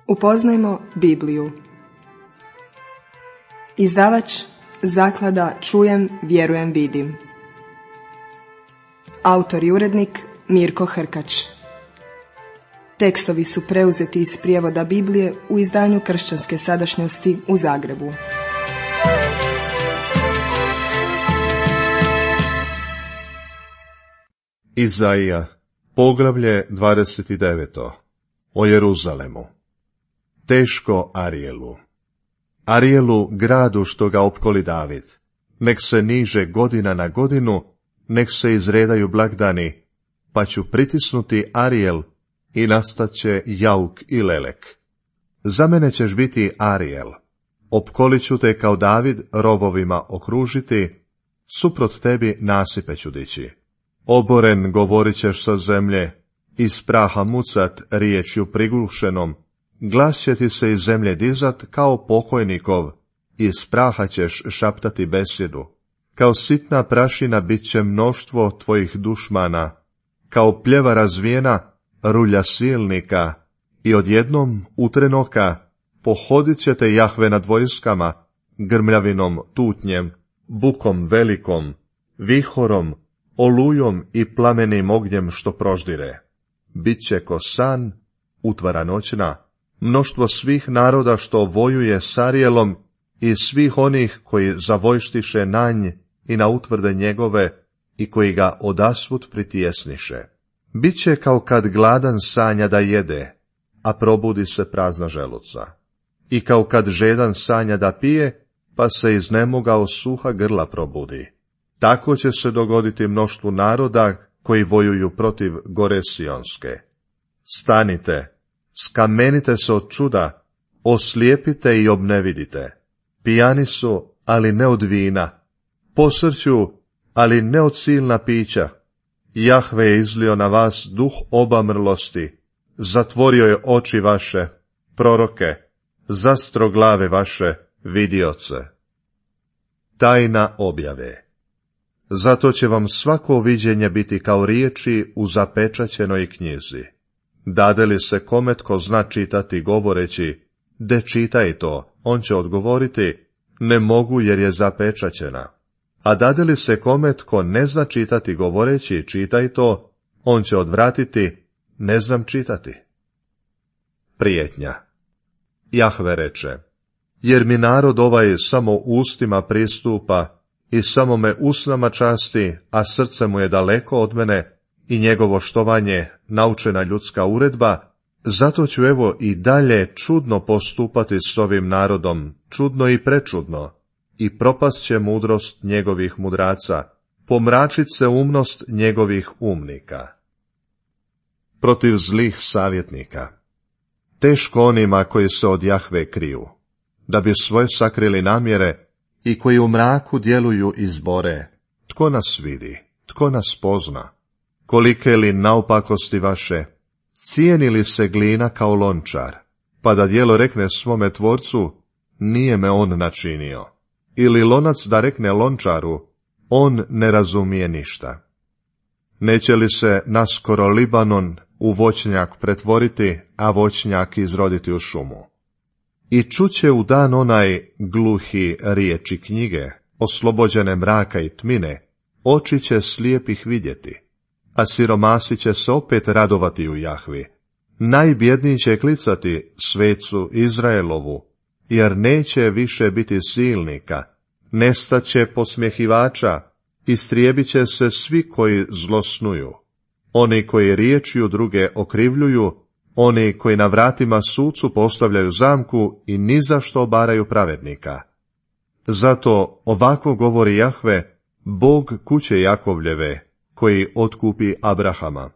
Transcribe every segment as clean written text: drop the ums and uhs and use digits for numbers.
Upoznajmo Bibliju. Izdavač Zaklada Čujem, vjerujem, vidim. Autor i urednik Mirko Hrkač. Tekstovi su preuzeti iz prijevoda Biblije u izdanju Kršćanske sadašnjosti u Zagrebu. Izaija, poglavlje 29. O Jeruzalemu. Teško Arijelu. Arijelu, gradu što ga opkoli David. Nek se niže godina na godinu, nek se izredaju blagdani, pa ću pritisnuti Arijel i nastat će jauk i lelek. Za mene ćeš biti Arijel. Opkolit ću te kao David rovovima okružiti, suprot tebi nasipe ću dići. Oboren govorit ćeš sa zemlje, iz praha mucat riječju prigušenom, glas će ti se iz zemlje dizat kao pokojnikov, iz praha ćeš šaptati besjedu. Kao sitna prašina bit će mnoštvo tvojih dušmana, kao pljeva razvijena rulja silnika, i odjednom utrenoka pohodit ćete Jahve nad vojskama, grmljavinom tutnjem, bukom velikom, vihorom, olujom i plamenim ognjem što proždire. Biće ko san, utvara noćna, mnoštvo svih naroda što vojuje s Arijelom i svih onih koji zavojštiše na nj i na utvrde njegove i koji ga odasvud pritjesniše. Biće kao kad gladan sanja da jede, a probudi se prazna želuca. I kao kad žedan sanja da pije, pa se iznemogao suha grla probudi. Tako će se dogoditi mnoštvu naroda koji vojuju protiv gore Sionske. Stanite, skamenite se od čuda, oslijepite i obnevidite. Pijani su, ali ne od vina, posrću, ali ne od silna pića. Jahve je izlio na vas duh obamrlosti, zatvorio je oči vaše, proroke, zastro glave vaše, vidioce. Tajna objave. Zato će vam svako viđenje biti kao riječi u zapečaćenoj knjizi. Dade li se kome tko zna čitati govoreći, de čitaj to, on će odgovoriti, ne mogu jer je zapečaćena. A dade li se kome tko ne zna čitati govoreći, čitaj to, on će odvratiti, ne znam čitati. Prijetnja. Jahve reče, jer mi narod ovaj samo ustima pristupa i samo me usnama časti, a srce mu je daleko od mene i njegovo štovanje naučena ljudska uredba, zato ću evo i dalje čudno postupati s ovim narodom, čudno i prečudno, i propast će mudrost njegovih mudraca, pomračit se umnost njegovih umnika. Protiv zlih savjetnika. Teško onima koji se od Jahve kriju, da bi svoje sakrili namjere, i koji u mraku djeluju i zbore. Tko nas vidi, tko nas pozna? Kolike li naopakosti vaše, cijeni li se glina kao lončar, pa da djelo rekne svome tvorcu, nije me on načinio. Ili lonac da rekne lončaru, on ne razumije ništa. Neće li se naskoro Libanon u voćnjak pretvoriti, a voćnjak izroditi u šumu? I čuće u dan onaj gluhi riječi knjige, oslobođene mraka i tmine, oči će slijepih vidjeti, a siromasi će se opet radovati u Jahvi. Najbjedniji će klicati svecu Izraelovu, jer neće više biti silnika, nestaće posmjehivača, istrijebit će se svi koji zlosnuju. Oni koji riječju druge okrivljuju, oni koji na vratima sucu postavljaju zamku i ni za što obaraju pravednika. Zato ovako govori Jahve, Bog kuće Jakovljeve, koji otkupi Abrahama.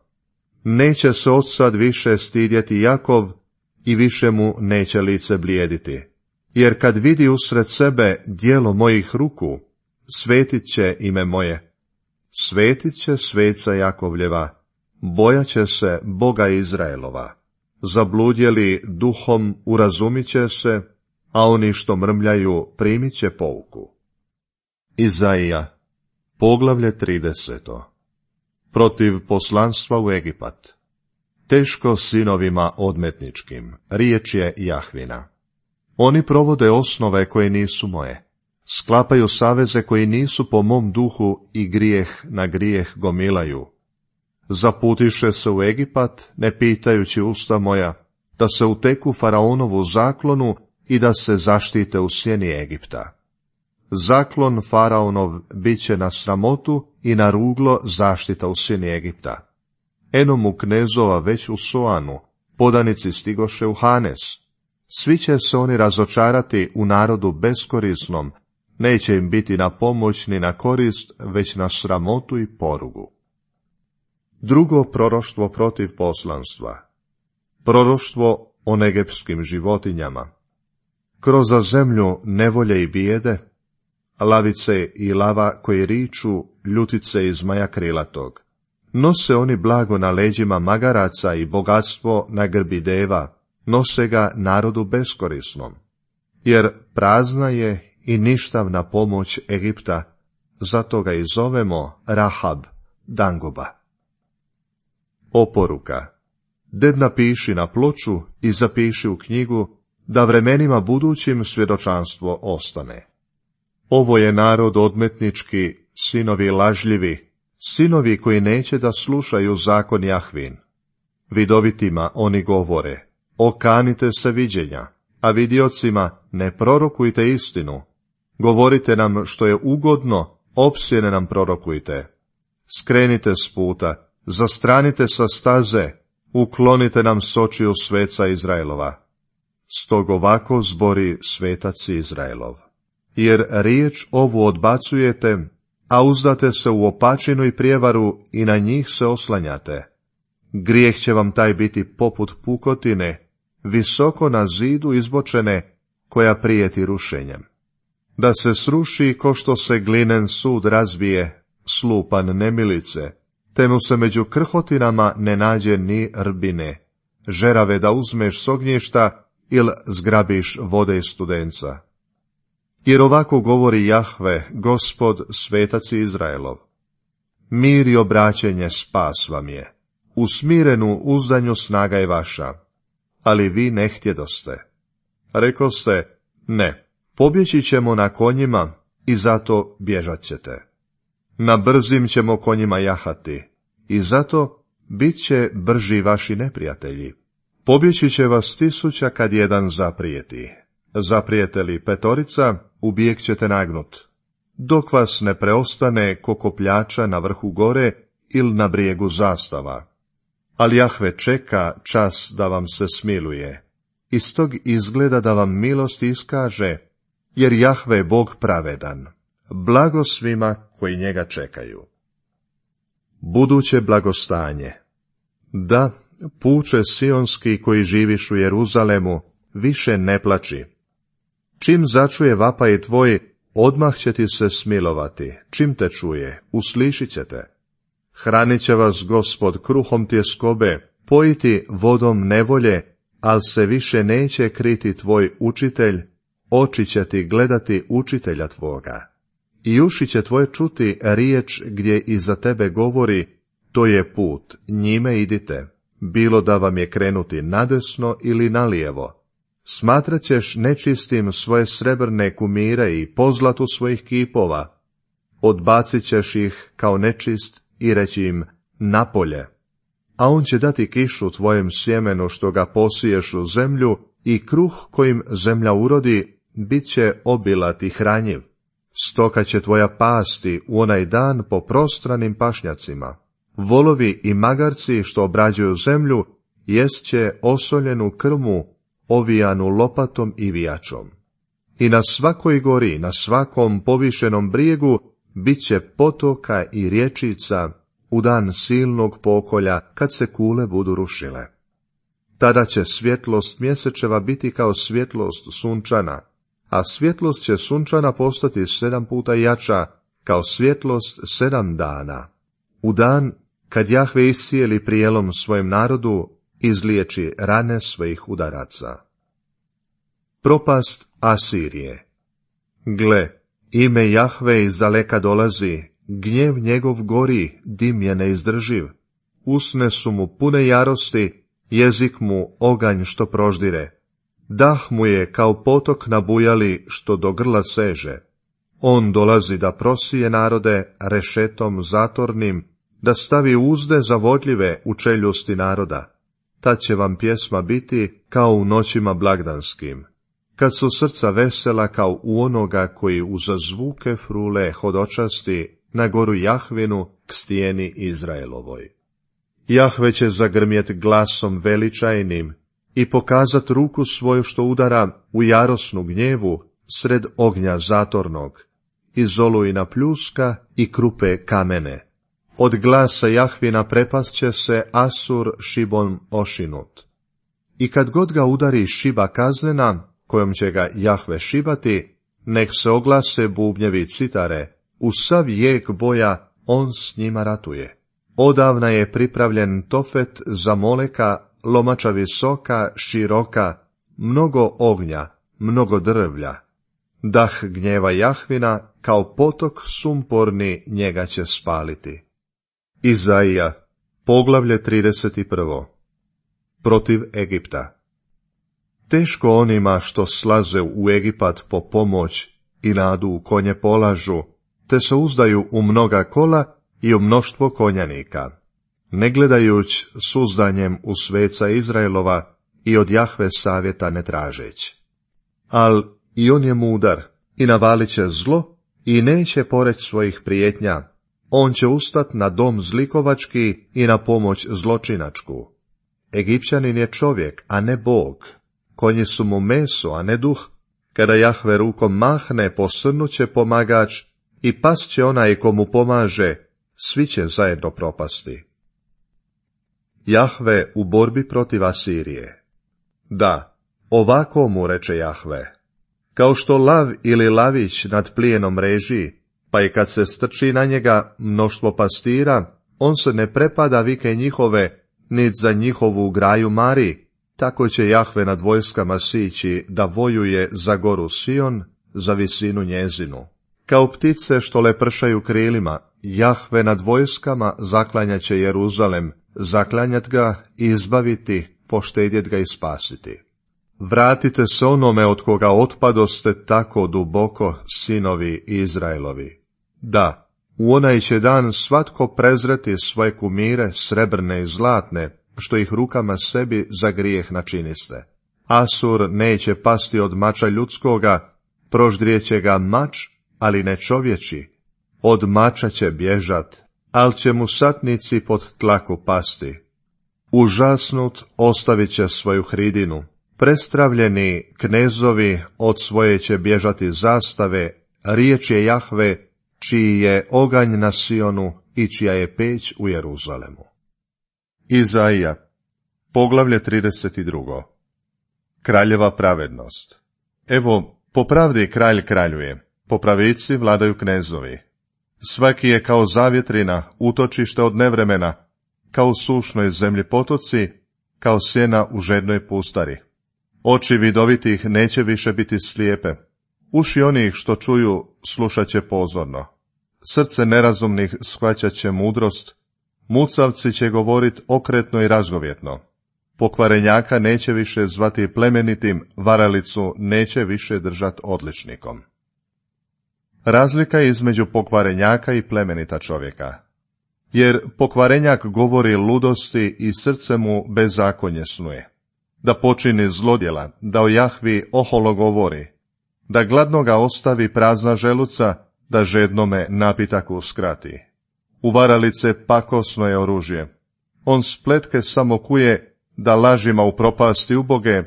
Neće se odsad više stidjeti Jakov i više mu neće lice blijediti. Jer kad vidi usred sebe djelo mojih ruku, svetit će ime moje. Svetit će sveca Jakovljeva, bojat će se Boga Izraelova. Zabludjeli duhom urazumit će se, a oni što mrmljaju primit će pouku. Izaija, poglavlje 30. Protiv poslanstva u Egipat. Teško sinovima odmetničkim, riječ je Jahvina. Oni provode osnove koje nisu moje, sklapaju saveze koji nisu po mom duhu i grijeh na grijeh gomilaju. Zaputiše se u Egipat, ne pitajući usta moja, da se uteku faraonovu zaklonu i da se zaštite u sjeni Egipta. Zaklon faraonov bit će na sramotu i na ruglo zaštita u sjeni Egipta. Eno mu knezova već u Soanu, podanici stigoše u Hanes. Svi će se oni razočarati u narodu beskorisnom, neće im biti na pomoć ni na korist, već na sramotu i porugu. Drugo proroštvo protiv poslanstva. Proroštvo o negepskim životinjama. Kroz zemlju nevolje i bijede, lavice i lava koji riču, ljutice i zmaja krilatog. Nose oni blago na leđima magaraca i bogatstvo na grbi deva, nose ga narodu beskorisnom. Jer prazna je i ništavna pomoć Egipta, zato ga i zovemo Rahab, dangoba. Oporuka. Ded napiši na ploču i zapiši u knjigu, da vremenima budućim svjedočanstvo ostane. Ovo je narod odmetnički, sinovi lažljivi, sinovi koji neće da slušaju zakon Jahvin. Vidovitima oni govore, okanite se viđenja, a vidiocima ne prorokujte istinu. Govorite nam što je ugodno, opsjene nam prorokujte. Skrenite s puta, zastranite sa staze, uklonite nam s očiju sveca Izraelova. Stog ovako zbori svetac Izraelov. Jer riječ ovu odbacujete, a uzdate se u opačinu i prijevaru i na njih se oslanjate. Grijeh će vam taj biti poput pukotine, visoko na zidu izbočene, koja prijeti rušenjem. Da se sruši ko što se glinen sud razbije, slupan nemilice, te mu se među krhotinama ne nađe ni rbine, žerave da uzmeš s ognjišta ili zgrabiš vode iz studenca. Jer ovako govori Jahve, Gospod, svetac Izraelov. Mir i obraćenje spas vam je, u smirenu uzdanju snaga je vaša, ali vi ne htjedoste. Rekoste, ne, pobjeći ćemo na konjima i zato bježat ćete. Na brzim ćemo konjima jahati i zato bit će brži vaši neprijatelji. Pobjeći će vas 1000 kad jedan zaprijeti. Zaprijete li 5, u bijeg ćete nagnut. Dok vas ne preostane ko kopljača na vrhu gore ili na brijegu zastava. Ali Jahve čeka čas da vam se smiluje. Iz tog izgleda da vam milost iskaže, jer Jahve je Bog pravedan. Blago svima koji njega čekaju. Buduće blagostanje. Da, puče sionski koji živiš u Jeruzalemu, više ne plači. Čim začuje vapaj tvoj, odmah će ti se smilovati. Čim te čuje, uslišit ćete. Hranit će vas Gospod kruhom tjeskobe, pojiti vodom nevolje, al se više neće kriti tvoj učitelj, oči će ti gledati učitelja tvoga. I uši će tvoje čuti riječ gdje iza tebe govori, to je put, njime idite, bilo da vam je krenuti nadesno ili nalijevo. Smatrat ćeš nečistim svoje srebrne kumire i pozlatu svojih kipova. Odbacit ćeš ih kao nečist i reći im napolje. A on će dati kišu tvojem sjemenu što ga posiješ u zemlju i kruh kojim zemlja urodi bit će obilat i hranjiv. Stoka će tvoja pasti u onaj dan po prostranim pašnjacima. Volovi i magarci što obrađuju zemlju jest će osoljenu krmu, ovijanu lopatom i vijačom. I na svakoj gori, na svakom povišenom brijegu, bit će potoka i rječica u dan silnog pokolja, kad se kule budu rušile. Tada će svjetlost mjesečeva biti kao svjetlost sunčana, a svjetlost će sunčana postati 7 puta jača, kao svjetlost 7 dana. U dan, kad Jahve iscijeli prijelom svojem narodu, izliječi rane svojih udaraca. Propast Asirije. Gle, ime Jahve izdaleka dolazi, gnjev njegov gori, dim je neizdrživ. usne su mu pune jarosti, jezik mu oganj što proždire. Dah mu je kao potok nabujali što do grla seže. On dolazi da prosije narode rešetom zatornim, da stavi uzde zavodljive u čeljusti naroda. Tad će vam pjesma biti kao u noćima blagdanskim, kad su srca vesela kao u onoga koji uza zvuke frule hodočasti na goru Jahvinu k stijeni Izraelovoj. Jahve će zagrmjet glasom veličajnim i pokazat ruku svoju što udara u jarosnu gnjevu sred ognja zatornog, iz olujna pljuska i krupe kamene. Od glasa Jahvina prepast će se Asur šibom ošinut. I kad god ga udari šiba kaznena, kojom će ga Jahve šibati, nek se oglase bubnjevi citare, u sav jek boja on s njima ratuje. Odavna je pripravljen Tofet za Moleka, lomača visoka, široka, mnogo ognja, mnogo drvlja. Dah gnjeva Jahvina, kao potok sumporni, njega će spaliti. Izaija, poglavlje 31. Protiv Egipta. Teško onima što slaze u Egipat po pomoć i nadu u konje polažu, te se uzdaju u mnoga kola i u mnoštvo konjanika, ne gledajuć s uzdanjem u sveca Izraelova i od Jahve savjeta ne tražeć. Al i on je mudar i navalit će zlo i neće poreć svojih prijetnja. On će ustat na dom zlikovački i na pomoć zločinačku. Egipćanin je čovjek, a ne Bog. Konji su mu meso, a ne duh. Kada Jahve rukom mahne, posrnuće pomagač i past će onaj ko mu pomaže, svi će zajedno propasti. Jahve u borbi protiv Asirije. Da, ovako mu reče Jahve. Kao što lav ili lavić nad plijenom reži, pa i kad se strči na njega mnoštvo pastira, on se ne prepada vike njihove, nit za njihovu graju mari, tako će Jahve nad vojskama sići da vojuje za goru Sion, za visinu njezinu. Kao ptice što lepršaju krilima, Jahve nad vojskama zaklanjat će Jeruzalem, zaklanjat ga i izbaviti, poštedjet ga i spasiti. Vratite se onome od koga otpadoste tako duboko, sinovi Izraelovi. Da, u onaj će dan svatko prezreti svoje kumire, srebrne i zlatne, što ih rukama sebi za grijeh načiniste. Asur neće pasti od mača ljudskoga, proždrijeće ga mač, ali ne čovječi. Od mača će bježat, al će mu satnici pod tlaku pasti. Užasnut ostavit će svoju hridinu. Prestravljeni knezovi od svoje će bježati zastave, riječ je Jahve, čiji je oganj na Sionu i čija je peć u Jeruzalemu. Izaija, poglavlje 32. Kraljeva pravednost. Evo, po pravdi kralj kraljuje, po pravici vladaju knezovi. Svaki je kao zavjetrina, utočište od nevremena, kao u sušnoj zemlji potoci, kao sjena u žednoj pustari. Oči vidovitih neće više biti slijepe, uši onih što čuju slušat će pozorno. Srce nerazumnih shvaćat će mudrost, mucavci će govorit okretno i razgovjetno. Pokvarenjaka neće više zvati plemenitim, varalicu neće više držat odličnikom. Razlika je između pokvarenjaka i plemenita čovjeka. Jer pokvarenjak govori ludosti i srce mu bezakonje snuje. Da počini zlodjela, da o Jahvi oholo govori, da gladnoga ostavi prazna želuca, da žednome napitak uskrati. U varalice pakosno je oružje. On spletke samo kuje, da lažima upropasti uboge,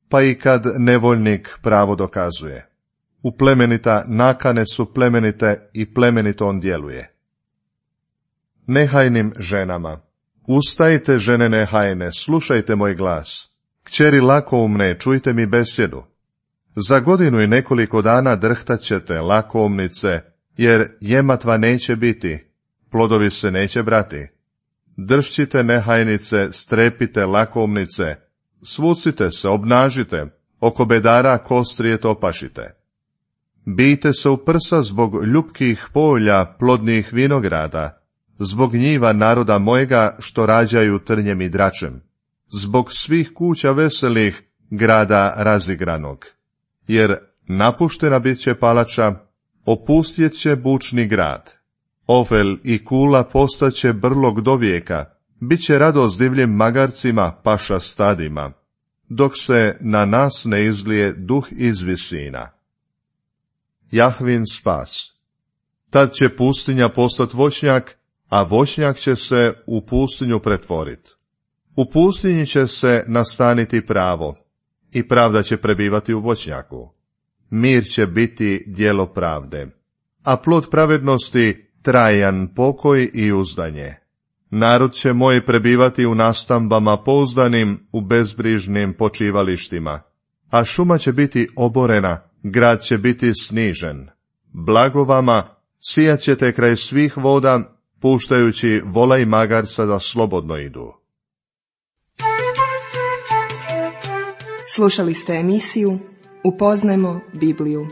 pa i kad nevoljnik pravo dokazuje. U plemenita nakane su plemenite i plemenito on djeluje. Nehajnim ženama. Ustajte, žene nehajne, slušajte moj glas. Kćeri lakoumne, čujte mi besjedu. Za godinu i nekoliko dana drhtat ćete, lakoumnice, jer jematva neće biti, plodovi se neće brati. Dršćite, nehajnice, strepite, lakoumnice, svucite se, obnažite, oko bedara kostrije topašite. Bijte se u prsa zbog ljupkih polja, plodnih vinograda, zbog njiva naroda mojega što rađaju trnjem i dračem, zbog svih kuća veselih grada razigranog. Jer napuštena bit će palača, opustjet će bučni grad. Ofel i Kula postaće brlog do vijeka, bit će radost divljim magarcima, paša stadima, dok se na nas ne izlije duh iz visina. Jahvin spas. Tad će pustinja postat voćnjak, a voćnjak će se u pustinju pretvorit. U pustinji će se nastaniti pravo, i pravda će prebivati u voćnjaku. Mir će biti djelo pravde, a plod pravednosti trajan pokoj i uzdanje. Narod će moj prebivati u nastambama pouzdanim, u bezbrižnim počivalištima, a šuma će biti oborena, grad će biti snižen. Blago vama, sijat ćete kraj svih voda, puštajući vola i magarca da slobodno idu. Slušali ste emisiju Upoznajmo Bibliju.